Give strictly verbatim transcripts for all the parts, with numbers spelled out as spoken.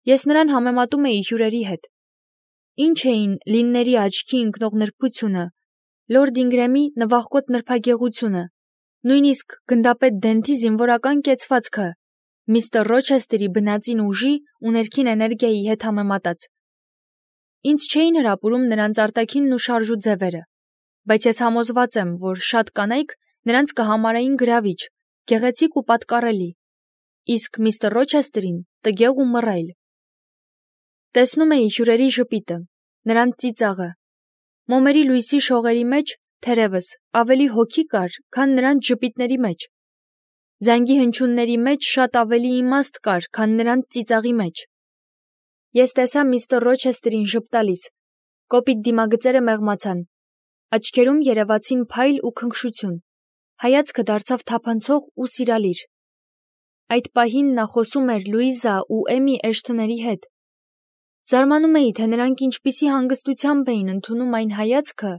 Ես նրան համեմատում էի հյուրերի հետ։ Ինչ էին Լինների աչքի ընկնող նրբությունը, Լորդ Ինգրեմի նվախկոտ նրբագեղությունը, նույնիսկ գնդապետ Դենթի զինվորական կեցվածքը, միստր Ռոչեսթերի բնածին ուժի ու ներքին էներգիայի հետ համեմատած։ Ինձ չէին հրապուրում նրանց արտաքինն ու շարժու ձևերը, բայց ես համոզված եմ, որ շատ կանայք նրանց կհամարեին գրավիչ, գեղեցիկ ու պատկառելի, իսկ միստր Ռոչեսթերին տգեղ ու մռայլ։ Տեսնում էի հյուրերի ժպիտը, նրանց ծիծաղը։ Մոմերի լույսի շողերի մեջ, թերևս, ավելի հոգի կար, քան նրանց ժպիտների մեջ։ Զանգի հնչյունների մեջ շատ ավելի իմաստ կար, քան նրանց ծիծաղի մեջ։ Ես տեսա միստր Ռոչեսթերին ժպտալիս, կոպիտ դիմագծերը մեղմացան, աչքերում երևացին փայլ ու քնքշություն, հայացքը դարձավ թափանցող ու սիրալիր։ Այդ պահին նա խոսում էր Լուիզա ու Էմի Էշթոնների հետ։ Զարմանում էի, թե նրանք ինչպիսի հանգստությամբ էին ընդունում այն հայացքը,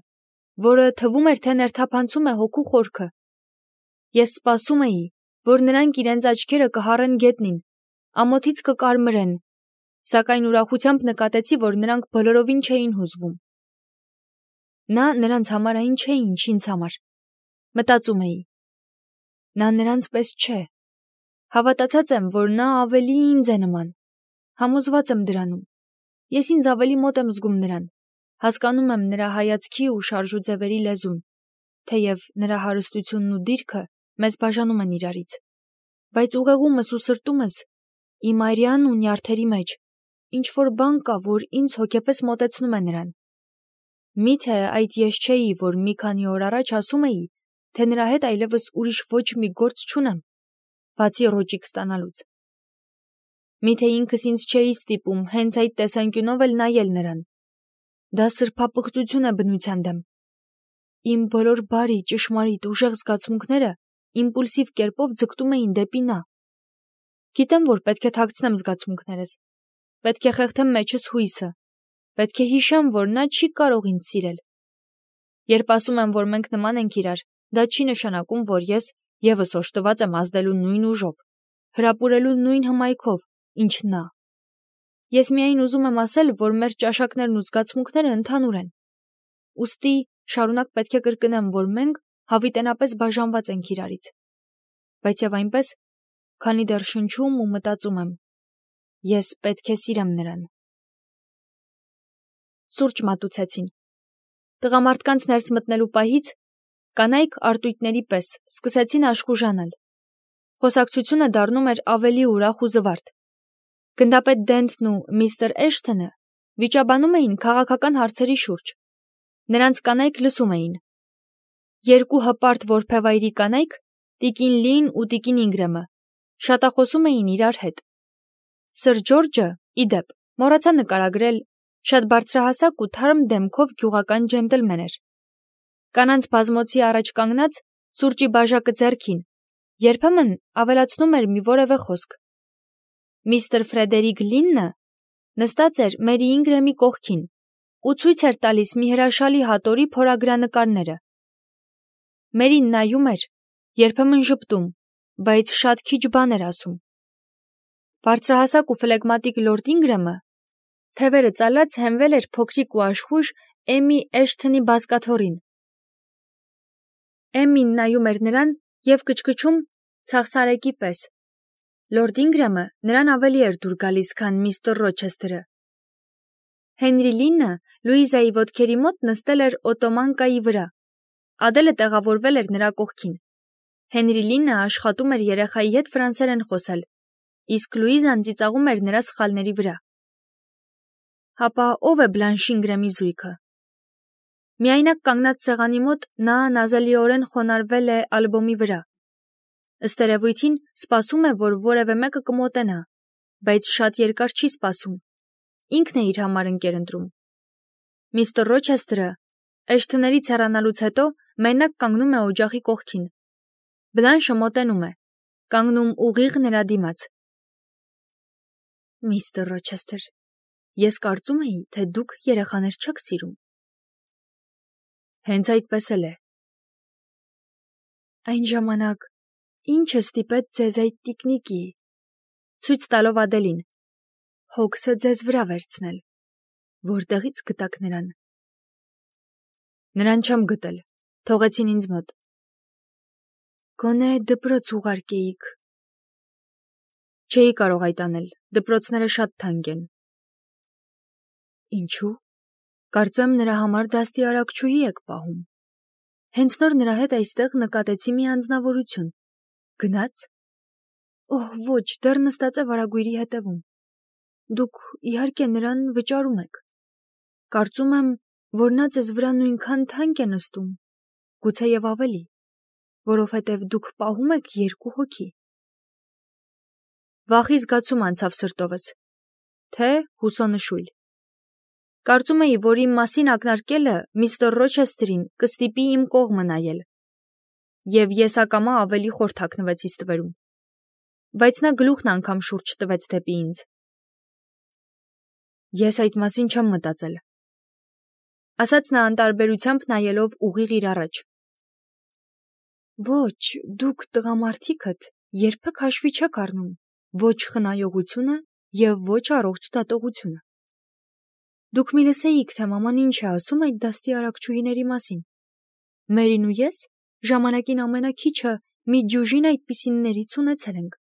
որը թվում էր, թե ներթափանցում է հոգու խորքը։ Ես սպասում էի, որ նրանք իրենց աչքերը կհառեն գետնին, ամոթից կկարմրեն, սակայն ուրախությամբ նկատեցի, որ նրանք բոլորովին չէին հուզվում։ Նա նրանց համարային չէ, ինչ ինձ համար։ Մտածում էի. նա նրանց պես չէ։ Հավատացած եմ, որ նա ավելի ինձ է նման։ Համոզված եմ դրանում։ Ես ինձ ավելի մոտ եմ զգում նրան, հասկանում եմ նրա հայացքի ու շարժու ձևերի լեզուն, թեև նրա հարստությունն ու դիրքը մեզ բաժանում են իրարից։ Բայց ուղեղումս ու սրտումս, իմ արյան ու նյարդերի մեջ, ինչ-որ բան կա, որ ինձ հոգեպես մոտեցնում է նրան։ Միթե այդ ես չէի, որ մի քանի օր առաջ ասում էի, թե նրա հետ այլևս ուրիշ ոչ մի գործ չունեմ, բացի ռոճիկ ստանալուց։ Միթե ինքս ինձ չէի ստիպում հենց այդ տեսանկյունով էլ նայել նրան։ Դա սրբապղծություն է բնության դեմ։ Իմ բոլոր բարի, ճշմարիտ, ուժեղ զգացմունքները իմպուլսիվ կերպով ձգտում էին դեպի նա։ Գիտեմ, որ պետք է թաքցնեմ զգացմունքներս, պետք է խեղդեմ մեջս հույսը, պետք է հիշեմ, որ նա չի կարող ինձ սիրել։ Երբ ասում եմ, որ մենք նման ենք իրար, դա չի նշանակում, որ ես ևս օժտված եմ ազդելու նույն ուժով, հրապուրելու նույն հմայքով, ինչ նա։ Ես միայն ուզում եմ ասել, որ մեր ճաշակներն ու զգացմունքները ընդհանուր են։ Ուստի շարունակ պետք է կրկնեմ, որ մենք հավիտենապես բաժանված ենք իրարից։ Բայց եւ այնպես, քանի դեռ շնչում ու մտածում եմ, ես պետք է սիրեմ նրան։ Սուրճ մատուցեցին։ Տղամարդկանց ներս մտնելու պահից կանայք արտույտների պես սկսեցին աշխուժանալ։ Խոսակցությունը դառնում էր ավելի ուրախ ու զվարթ։ Գնդապետ Դենթն ու միստր Էշթոնը վիճաբանում էին քաղաքական հարցերի շուրջ։ Նրանց կանայք լսում էին։ Երկու հպարտ որբևայրի կանայք, տիկին Լին ու տիկին Ինգրեմը, շատախոսում էին իրար հետ։ Սըր Ջորջը, ի դեպ, մոռացա նկարագրել, շատ բարձրահասակ ու թարմ դեմքով գյուղական ջենտլմեն էր։ Կանանց բազմոցի առաջ կանգնած, սուրճի բաժակը ձեռքին, երբեմն ավելացնում էր մի որևէ խոսք։ Միստր Ֆրեդերիկ Լիննը նստած էր Մերի Ինգրեմի կողքին ու ցույց էր տալիս մի հրաշալի հատորի փորագրանկարները։ Մերին նայում էր, երբեմն ժպտում, բայց շատ քիչ բան էր ասում։ Բարձրահասակ ու ֆլեգմատիկ Լորդ Ինգրեմը թևերը ծալած հենվել էր փոքրիկ ու աշխույժ Էմի Էշթոնի բազկաթոռին։ Էմին նայում էր նրան և կչկչում ցաղսարեկի պես։ Լորդ Ինգրեմը նրան ավելի էր դուր գալիս, քան միստր Ռոչեսթերը։ Հենրի Լիննը Լուիզայի ոտքերի մոտ նստել էր օտոմանկայի վրա։ Ադելը տեղավորվել էր նրա կողքին։ Հենրի Լիննը աշխատում էր երեխայի հետ ֆրանսերեն խոսել, իսկ Լուիզան ծիծաղում էր նրա սխալների վրա։ Հապա ո՞վ է Բլանշ Ինգրեմի զույգը։ Միայնակ կանգնած սեղանի մոտ նա նազելիորեն խոնարհվել է ալբոմի վրա։ Ըստ երևույթին սպասում է, որ որևէ մեկը կմոտենա, բայց շատ երկար չի սպասում։ Ինքն է իր համար ընկեր ընտրում։ Միստր Ռոչեսթերը Էշթոններից հեռանալուց հետո մենակ կանգնում է օջախի կողքին։ Բլանշը մոտենում է, կանգնում ուղիղ նրա դիմաց։ Միստր Ռոչեսթեր, ես կարծում էի, թե դուք երեխաներ չեք սիրում։ Հենց այդպես էլ է։ Այն ժամանակ ի՞նչը ստիպեց ձեզ այդ տիկնիկի, ցույց տալով Ադելին, հոգսը ձեզ վրա վերցնել։ Որտեղից գտաք նրան։ Նրան չեմ գտել, թողեցին ինձ մոտ։ Գոնե դպրոց ուղարկեիք։ Չէի կարող այդ անել, դպրոցները շատ թանկ են։ Ինչու՞։ Կարծեմ նրա համար դաստիարակչուհի եք պահում։ Հենց նոր նրա հետ այստեղ նկատեցի մի անձնավորություն։ Գնաց։ Օհ, ոչ, դեռ նստած է վարագույրի հետևում։ Դուք իհարկե նրան վճարում եք։ Կարծում եմ, որ նա ձեզ վրա նույնքան թանկ է նստում, գուցեև ավելի, որովհետև դուք պահում եք երկու հոգի։ Վախի զգացում անցավ սրտովս, թե հուսոնշույլ։ Կարծում էի, որ իմ մասին ակնարկելը միստր Ռոչեսթերին կստիպի իմ կողմը նայել, և ես ակամա ավելի խոր թաքնվեցի ստվերում, բայց նա գլուխն անգամ շուրջ տվեց դեպի ինձ։ Ես այդ մասին չեմ մտածել, ասաց նա անտարբերությամբ նայելով ուղիղ իր առաջ։ Ոչ, դուք տղամարդիկդ երբեք հաշվի չեք առնում ոչ խնայողությունը և ոչ առողջ դատողությունը։ Դուք մի լսեիք, թե մաման ինչ է ասում այդ դաստիարակչուհիների մասին։ Մերին ու ես ժամանակին ամենաքիչը մի դյուժին այդպիսիններից ունեցել ենք։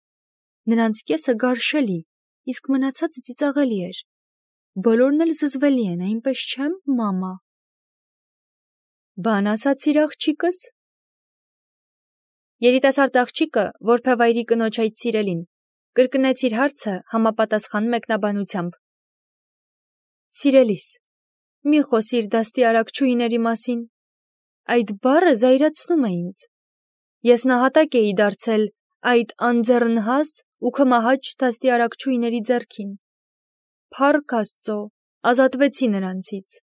Նրանց կեսը գարշելի, իսկ մնացածը ծիծաղելի էր։ Բոլորն էլ զզվելի են, այնպես չեմ, մամա։ Բան ասացիր աղջիկս։ Երիտասարդ աղջիկը, որբևայրի կնոջ այդ սիրելին, կրկնեց իր հարցը համապատասխան մեկնաբանությամբ։ Սիրելիս, մի խոսիր դաստիարակչուհիների մասին, այդ բառը զայրացնում է ինձ։ Ես նահատակ էի դարձել այդ անձեռնհաս ու քմահաճ դաստիարակչուհիների ձեռքին։ Փառք Աստծո, ազատվեցի նրանցից։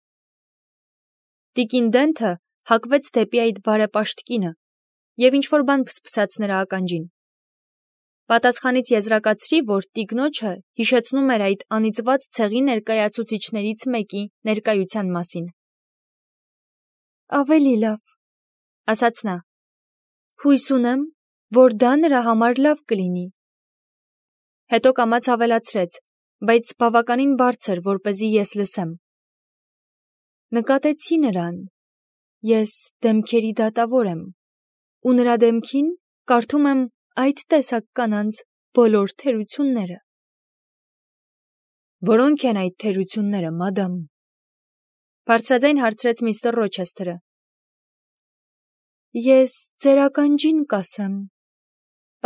Տիկին Դենթը հակվեց դեպի այդ բարեպաշտ կինը և ինչ-որ բան փսփսաց նրա ականջին։ Պատասխանից եզրակացրի, որ տիկնոջը հիշեցնում էր այդ անիծված ցեղի ներկայացուցիչներից մեկի ներկայության մասին։ Ավելի լավ, ասաց նա, հույս ունեմ, որ դա նրա համար լավ կլինի։ Հետո կամաց ավելացրեց, բայց բավականին բարձր, որպեսզի ես լսեմ։ Նկատեցի նրան, ես դեմքերի դատավոր եմ, ու նրա դեմքին կարդում եմ այդ տեսակ կանանց բոլոր թերությունները։ Որո՞նք են այդ թերությունները, մադամ։ Բարձրաձայն հարցրեց միստր Ռոչեսթերը։ Ես ձեր ականջին կասեմ,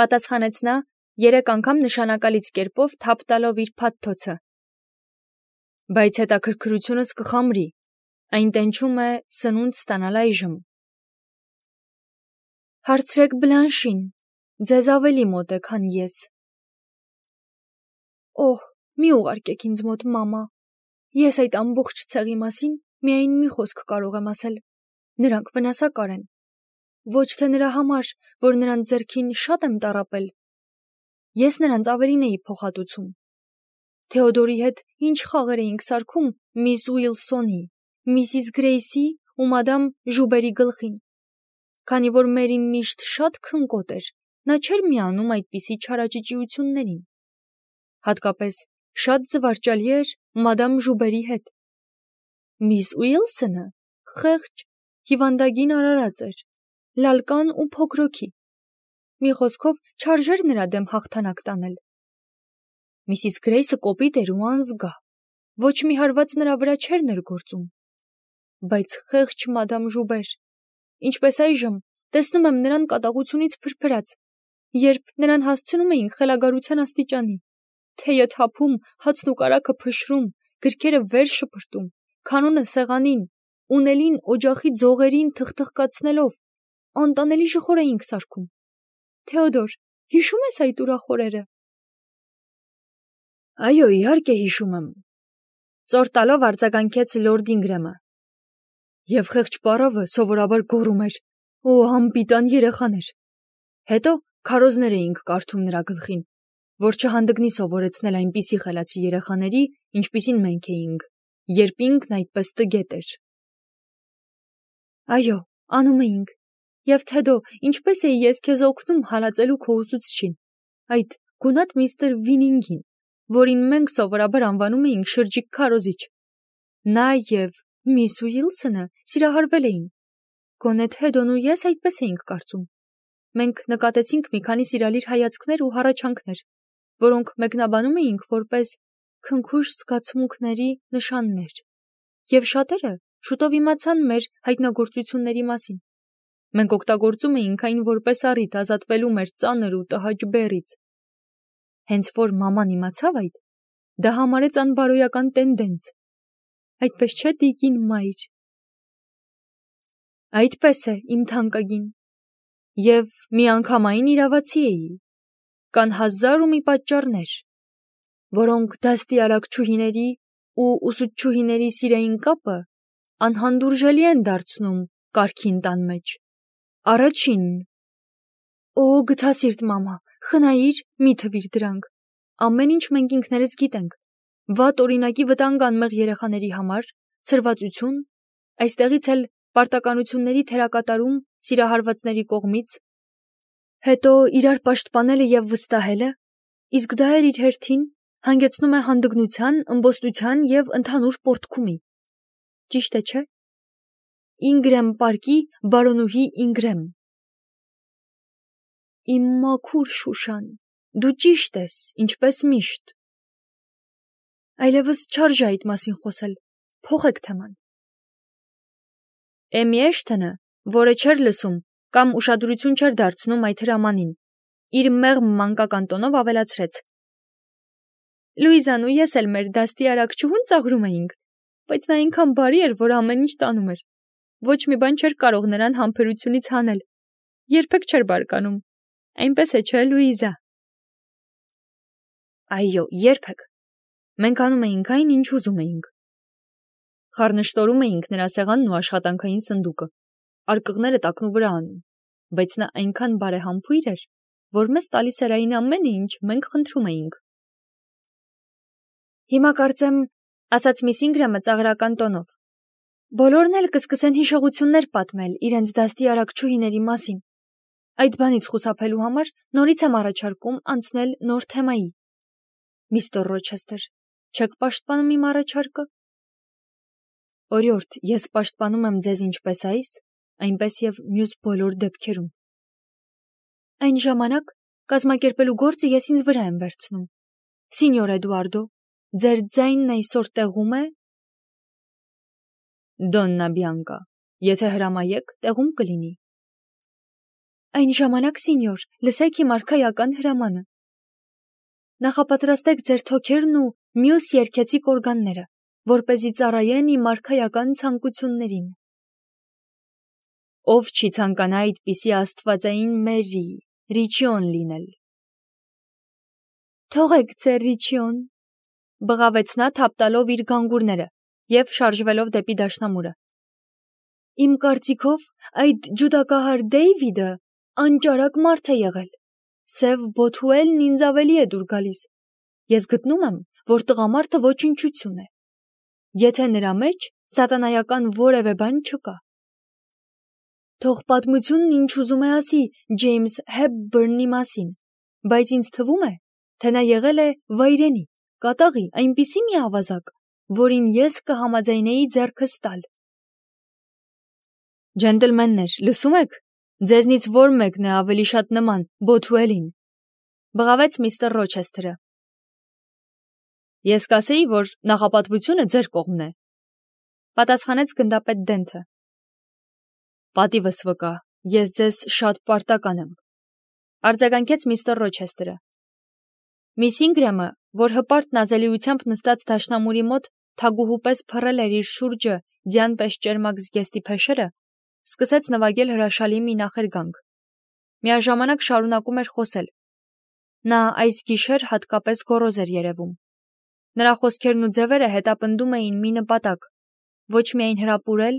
պատասխանեց նա, երեք անգամ նշանակալից կերպով թափ տալով իր փաթթոցը։ Բայց հետաքրքրությունս կխամրի, այն տենչում է սնունդ ստանալ այժմ։ Հարցրեք Բլանշին, ձեզ ավելի մոտ է, քան ես։ Օհ, մի ուղարկեք ինձ մոտ, մամա։ Ես այդ ամբողջ ցեղի մասին միայն մի խոսք կարող եմ ասել. նրանք վնասակար են։ Ոչ թե նրա համար, որ նրանց ձեռքին շատ եմ տառապել։ Ես նրանց ավելին էի փոխհատուցում։ Թեոդորի հետ ինչ խաղեր էինք սարքում միս Ուիլսոնի, միսիս Գրեյսի ու մադամ Ժուբերի գլխին։ Քանի որ Մերին միշտ շատ քնկոտ էր, նա չէր միանում այդպիսի չարաճճիություններին։ Հատկապես շատ զվարճալի էր մադամ Ժուբերի հետ։ Միս Ուիլսոնը խեղճ, հիվանդագին արարած էր, լալկան ու փոքրոքի։ Մի խոսքով չարժեր նրա դեմ հաղթանակ տանել։ Միսիս Գրեյսը կոպիտ էր ու անզգա, ոչ մի հարված նրա վրա չէր ներգործում։ Բայց խեղճ մադամ Ժուբեր, ինչպես այժմ, տեսնում եմ նրան կատաղությունից փրփրած, երբ նրան հասցնում էինք խելագարության աստիճանի, թեյը թափում, հացն ու կարագը փշրում, գրքերը վեր շպրտում, քանոնը սեղանին, ունելին օջախի ձողերին թխթխկացնելով, անտանելի շխոր էինք սարքում։ Թեոդոր, հիշո՞ւմ ես այդ ուրախ օրերը։ Այո, իհարկե հիշում եմ, ծոր տալով արձագանքեց լորդ Ինգրեմը։ Եվ խեղճ պարավը սովորաբար գոռում էր. Օ, անպիտան երեխաներ։ Հետո քարոզներ էինք կարդում նրա գլխին, որ չհանդգնի սովորեցնել այնպիսի խելացի երեխաների, ինչպիսին մենք էինք, երբ ինքն այդպես տգետ էր։ Այո, անում էինք։ Եվ Թեդո, ինչպես էի ես քեզ օգնում հալածելու քո ուսուցչին, այդ գունատ միստր Վինինգին, որին մենք սովորաբար անվանում էինք շրջիկ քարոզիչ։ Նա և միս Ուիլսոնը սիրահարվել էին։ Գոնե Թեդոն ու ես այդպես էինք կարծում։ Մենք նկատեցինք մի քանի սիրալիր հայացքներ ու հառաչանքներ, որոնք մեկնաբանում էինք որպես քնքուշ զգացմունքների նշաններ, և շատերը շուտով իմացան մեր հայտնագործությունների մասին։ Մենք օգտագործում էինք այն որպես առիթ ազատվելու մեր ծանր ու տհաճ բեռից։ Հենց որ մաման իմացավ այդ, դա համարեց անբարոյական տենդենց։ Այդպես չէ, տիկին մայր։ Այդպես է, իմ թանկագին։ Եվ միանգամայն իրավացի էի։ Կան հազար ու մի պատճառներ, որոնք դաստիարակչուհիների ու ուսուցչուհիների սիրային կապը անհանդուրժելի են դարձնում կարգին տան մեջ։ Առաջին. Օ, գթասիրտ մամա, խնայիր, մի թվիր դրանք։ Ամեն ինչ մենք ինքներս գիտենք։ Վատ օրինակի վտանգ անմեղ երեխաների համար, ցրվածություն, այստեղից էլ պարտականությունների թերակատարում սիրահարվածների կողմից, հետո իրար պաշտպանելը և վստահելը, իսկ դա էլ իր հերթին հանգեցնում է հանդգնության, ըմբոստության և ընդհանուր պոռթկումի։ Ճիշտ է, չէ՞։ Ինգրեմ պարկի բարոնուհի Ինգրեմ։ Իմ մաքուր Շուշան, դու ճիշտ ես, ինչպես միշտ։ Այլևս չարժե այդ մասին խոսել, փոխեք թեման։ Էմի Էշթոնը, որը չէր լսում կամ ուշադրություն չէր դարձնում այդ հրամանին, իր մեղմ մանկական տոնով ավելացրեց. Լուիզան ու ես էլ մեր դաստիարակչուհուն ծաղրում էինք, բայց նա այնքան բարի էր, որ ամեն ինչ տանում էր։ Ոչ մի բան չէր կարող նրան համբերությունից հանել։ Երբեք չէր բարկանում։ Այնպես է, չէ, Լուիզա։ Այո, երբեք։ Մենք անում էինք այն, ինչ ուզում էինք։ Խառնշտորում էինք նրա սեղանն ու աշխատանքային սնդուկը, արկղները տակնու վրա անում, բայց նա այնքան բարեհամբույր էր, որ մեզ տալիս էր այն ամենը, ինչ մենք խնդրում էինք։ Հիմա կարծեմ, ասաց միս Ինգրեմը ծաղրական տոնով, բոլորն էլ կսկսեն հիշողություններ պատմել իրենց դաստիարակչուհիների մասին։ Այդ բանից խուսափելու համար նորից եմ առաջարկում անցնել նոր թեմայի։ Միստր Ռոչեսթեր, չեք պաշտպանում իմ առաջարկը։ Օրիորդ, ես պաշտպանում եմ ձեզ ինչպես այս, այնպես և մյուս բոլոր դեպքերում։ Այն ժամանակ կազմակերպելու գործը ես ինձ վրա եմ վերցնում։ Սինյոր Էդուարդո, ձեր ձայնն այսօր տեղում է։ Դոննա Բիանկա, եթե հրամայեք, տեղում կլինի։ Այն ժամանակ, սինյոր, լսեք իմ արքայական հրամանը։ Նախապատրաստեք ձեր թոքերն ու մյուս երգեցիկ օրգանները, որպեսզի ծառայեն իմ արքայական ցանկություններին։ Ով չի ցանկանա այդպիսի աստվածային մերի, Ռիչիոն լինել։ Թողեք ձեր Ռիչիոն, բղավեց նա թափ տալով իր գանգուրները և շարժվելով դեպի դաշնամուրը։ Իմ կարծիքով այդ ջուդակահար Դեյվիդը անճարակ մարդ է եղել։ Սև Բոթուելն ինձ ավելի է դուր գալիս։ Ես գտնում եմ, որ տղամարդը ոչնչություն է, եթե նրա մեջ սատանայական որևէ բան չկա։ Թող պատմությունն ինչ ուզում է ասի Ջեյմս Հեփբըրնի մասին, բայց ինձ թվում է, թե նա եղել է վայրենի, կատաղի, այնպիսի մի ավազակ, որին ես կհամաձայնեի ձեռքս տալ։ Ջենտլմեններ, լսում եք, ձեզնից որ մեկն է ավելի շատ նման Բոթուելին, բղավեց միստր Ռոչեսթերը։ Ես կասեի, որ նախապատվությունը ձեր կողմն է, պատասխանեց գնդապետ Դենթը։ Պատիվս վկա, ես ձեզ շատ պարտական եմ, արձագանքեց միստր Ռոչեսթերը։ Միս Ինգրեմը, որ հպարտ նազելիությամբ նստած դաշնամուրի մոտ թագուհու պես փռել էր իր շուրջը ձյան պես ճերմակ զգեստի փեշերը, սկսեց նվագել հրաշալի մի նախերգանք։ Միաժամանակ շարունակում էր խոսել։ Նա այս գիշեր հատկապես գոռոզ էր երևում։ Նրա խոսքերն ու ձևերը հետապնդում էին մի նպատակ, ոչ միայն հրապուրել,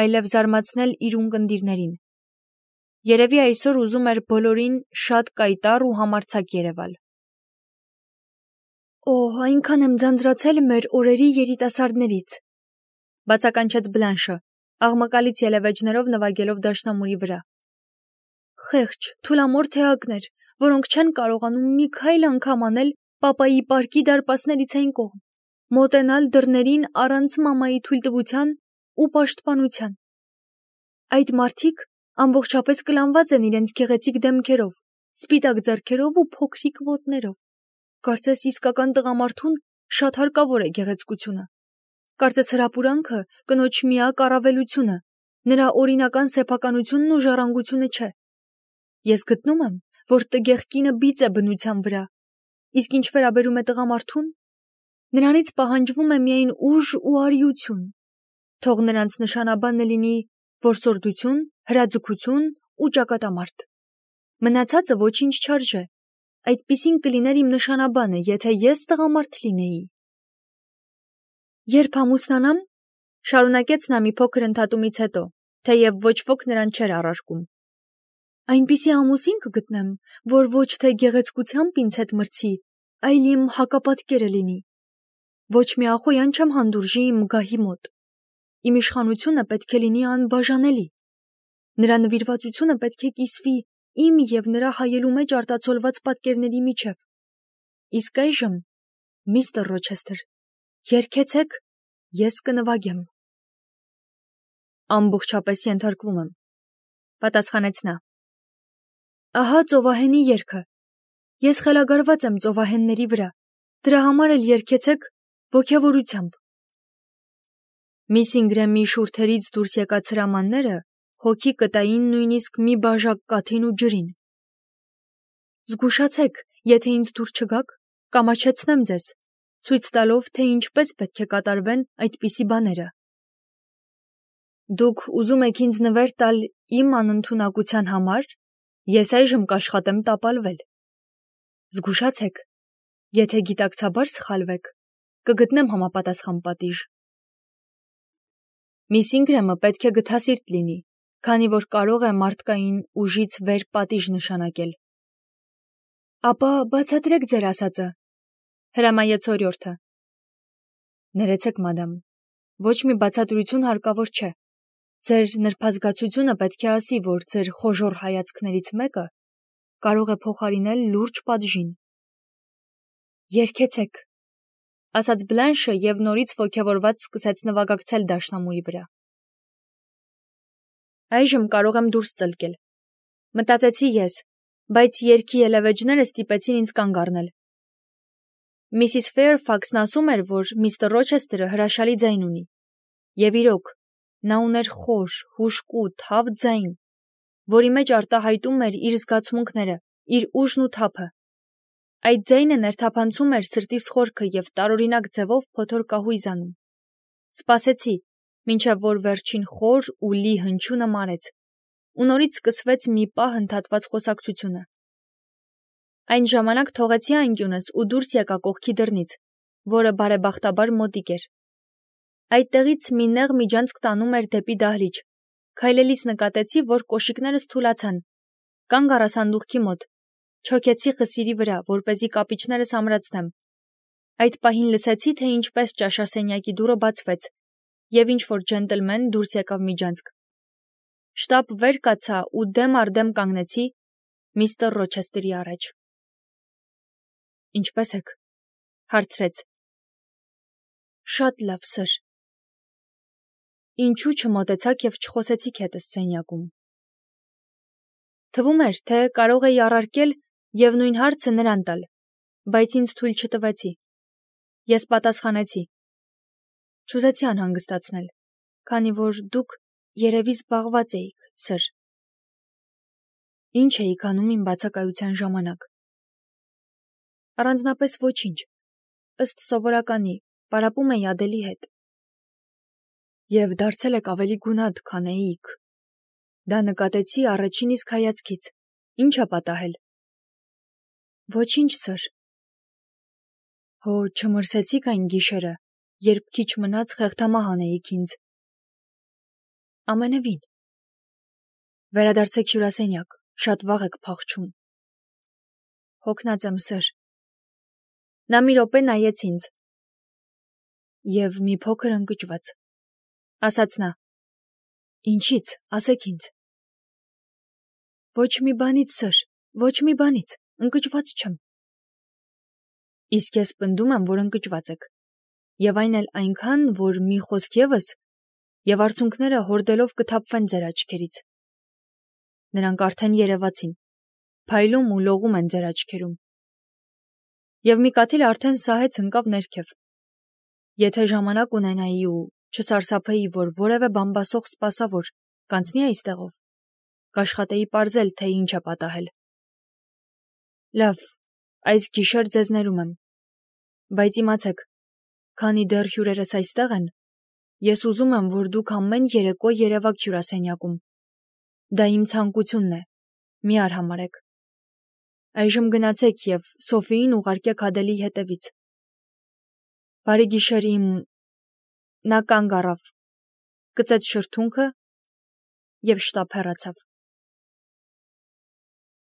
այլև զարմացնել իր ունկնդիրներին։ Երևի այսօր ուզում էր բոլորին շատ կայտառ ու համարձակ երևալ։ Օ, այնքան եմ ձանձրացել մեր օրերի երիտասարդներից, բացականչեց Բլանշը, աղմկալից ելևէջներով նվագելով դաշնամուրի վրա։ Խեղճ, թուլամորթ էակներ, որոնք չեն կարողանում մի քայլ անգամ անել Պապայի պարկի դարպասներից այն կողմ, մոտենալ դռներին առանց մամայի թույլտվության ու պաշտպանության։ Այդ մարդիկ ամբողջապես կլանված են իրենց գեղեցիկ դեմքերով, սպիտակ ձեռքերով ու փոքրիկ ոտներով։ Կարծես իսկական տղամարդուն շատ հարկավոր է գեղեցկությունը։ Կարծես հրապուրանքը կնոջ միակ առավելությունը, նրա օրինական սեփականությունն ու ժառանգությունը չէ։ Ես գտնում եմ, որ տգեղ կինը բիծ է բնության վրա, իսկ ինչ վերաբերում է տղամարդուն, նրանից պահանջվում է միայն ուժ ու արիություն։ Թող նրանց նշանաբանը լինի որսորդություն, հրաձգություն ու ճակատամարտ։ Մնացածը ոչինչ չարժե։ Այդպիսին կլիներ իմ նշանաբանը, եթե ես տղամարդ լինեի։ Երբ ամուսնանամ, շարունակեց նա մի փոքր ընդհատումից հետո, թեև ոչ ոք նրան չէր առարկում, այնպիսի ամուսին կգտնեմ, որ ոչ թե գեղեցկությամբ ինձ հետ մրցի, այլ իմ հակապատկերը լինի։ Ոչ մի ախոյան չեմ հանդուրժի իմ գահի մոտ։ Իմ իշխանությունը պետք է լինի անբաժանելի։ Նրա նվիրվածությունը պետք է կիսվի իմ և նրա հայելու մեջ արտացոլված պատկերների միջև։ Իսկ այժմ, միստր Ռոչեսթեր, երգեցեք, ես կնվագեմ։ Ամբողջապես ենթարկվում եմ, պատասխանեց նա։ Ահա ծովահենի երգը։ Ես խելագարված եմ ծովահենների վրա, դրա համար էլ երգեցեք ոգևորությամբ։ Միս Ինգրեմի շուրթերից դուրս եկած հրամանները հոգի կտային նույնիսկ մի բաժակ կաթին ու ջրին։ Զգուշացեք, եթե ինձ դուր չգաք, կամաչեցնեմ ձեզ, ցույց տալով, թե ինչպես պետք է կատարվեն այդպիսի բաները։ Դուք ուզում եք ինձ նվեր տալ իմ անընդունակության համար, ես այժմ կաշխատեմ տապալվել։ Զգուշացեք, եթե գիտակցաբար սխալվեք, կգտնեմ համապատասխան պատիժ։ Միս Ինգրեմը պետք է գթասիրտ լինի, քանի որ կարող է մարդկային ուժից վեր պատիժ նշանակել։ Ապա բացատրեք ձեր ասածը, հրամայեց օրիորդը։ Ներեցեք, մադամ, ոչ մի բացատրություն հարկավոր չէ։ Ձեր նրբազգացությունը պետք է ասի, որ ձեր խոժոռ հայացքներից մեկը կարող է փոխարինել լուրջ պատժին։ Երգեցեք, ասաց Բլանշը և նորից ոգևորված սկսեց նվագակցել դաշնամուրի վրա։ Այժմ կարող եմ դուրս ծլկել, մտածեցի ես, բայց երգի ելևէջները ստիպեցին ինձ կանգ առնել։ Միսիս Ֆեյրֆաքսն ասում էր, որ միստր Ռոչեսթերը հրաշալի ձայն ունի։ Եվ իրոք, նա ուներ խոր, հուժկու, թավ ձայն, որի մեջ արտահայտում էր իր զգացմունքները, իր ուժն ու թափը։ Այդ ձայնը ներթափանցում էր սրտիս խորքը և տարօրինակ ձևով փոթոր կահույզ անում։ Սպասեցի, մինչև որ վերջին խոր ու լի հնչյունը մարեց, ու նորից սկսվեց մի պահ ընդհատված խոսակցությունը։ Այն ժամանակ թողեցի անկյունս ու դուրս եկա կողքի դռնից, որը բարեբախտաբար մոտիկ էր։ Այդտեղից մի նեղ միջանցք տանում էր դեպի դահլիճ։ Քայլելիս նկատեցի, որ կոշիկներս թուլացան։ Կանգ առա սանդուղքի մոտ, չոքեցի խսիրի վրա, որպեսզի կապիճներս ամրացնեմ։ Այդ պահին լսեցի, թե ինչպես ճաշասենյակի դուռը բացվեց, և ինչ-որ ջենտլմեն դուրս եկավ միջանցք։ Շտապ վեր կացա ու դեմ առ դեմ կանգնեցի միստր Ռոչեսթերի առաջ։ Ինչպե՞ս եք, հարցրեց։ Շատ լավ, սըր։ Ինչու չմոտեցաք և չխոսեցիք հետս սենյակում։ Թվում էր, թե կարող էի առարկել և նույն հարցը նրան տալ, բայց ինձ թույլ չտվեցի։ Ես պատասխանեցի. Չուզեցի անհանգստացնել, քանի որ դուք երևի զբաղված էիք, սըր։ Ինչ էիք անում իմ բացակայության ժամանակ։ Առանձնապես ոչինչ, ըստ սովորականի, պարապում էի Ադելի հետ։ Եվ դարձել եք ավելի գունատ, քան էիք։ Դա նկատեցի առաջին իսկ հայացքից։ Ինչ է պատահել։ Ոչինչ, սըր։ Հո չմրսեցիք այն գիշերը, երբ քիչ մնաց խեղդամահ անեիք ինձ։ Ամենևին։ Վերադարձեք հյուրասենյակ, շատ վաղ եք փախչում։ Հոգնած եմ, սըր։ Նա մի րոպե նայեց ինձ։ Եվ մի փոքր ընկճված, ասաց նա։ Ինչից, ասեք ինձ։ Ոչ մի բանից, սըր, ոչ մի բանից, ընկճված չեմ։ Իսկ ես պնդում եմ, որ ընկճված եք, եւ այն էլ այնքան, որ մի խոսք եւս, եւ արցունքները հորդելով կթափվեն ձեր աչքերից։ Նրանք արդեն երևացին, փայլում ու լողում են ձեր աչքերում։ Եվ մի կաթիլ արդեն սահեց ընկավ ներքև։ Եթե ժամանակ ունենայի ու չսարսափեի, որ որևէ բամբասող սպասավոր կանցնի այստեղով, կաշխատեի պարզել, թե ինչ է պատահել։ Լավ, այս գիշեր ձեզ ներում եմ, բայց իմացեք, քանի դեռ հյուրերս այստեղ են, ես ուզում եմ, որ դուք ամեն երեկո երևաք հյուրասենյակում։ Դա իմ ցանկությունն է, մի արհամարհեք։ Այժմ գնացեք եւ Սոֆիին ուղարկեք Ադելի հետևից։ Բարի գիշեր իմ… Նա կանգ առավ, կծեց շրթունքը և շտապ հեռացավ։